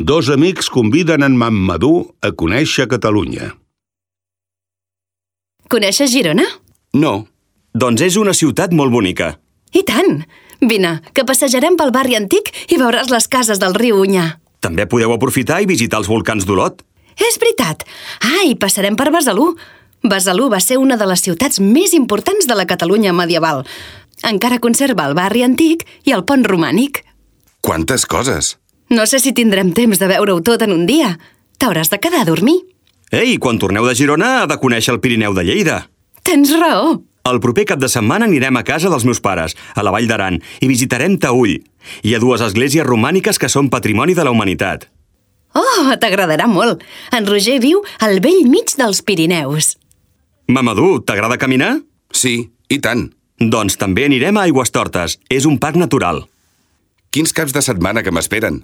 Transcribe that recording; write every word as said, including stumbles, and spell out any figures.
Dos amics conviden en Mamadou a conèixer Catalunya. Coneixes Girona? No, doncs és una ciutat molt bonica. I tant! Vine, que passejarem pel barri antic i veuràs les cases del riu Onyar. També podeu aprofitar i visitar els volcans d'Olot. És veritat! Ah, i passarem per Besalú. Besalú va ser una de les ciutats més importants de la Catalunya medieval. Encara conserva el barri antic i el pont romànic. Quantes coses! No sé si tindrem temps de veure-ho tot en un dia. T'hauràs de quedar a dormir. Ei, quan torneu de Girona ha de conèixer el Pirineu de Lleida. Tens raó. El proper cap de setmana anirem a casa dels meus pares, a la Vall d'Aran, i visitarem Taüll. Hi ha dues esglésies romàniques que són patrimoni de la humanitat. Oh, t'agradarà molt. En Roger viu al vell mig dels Pirineus. Mamadou, t'agrada caminar? Sí, i tant. Doncs també anirem a Aigüestortes. És un parc natural. Quins caps de setmana que m'esperen.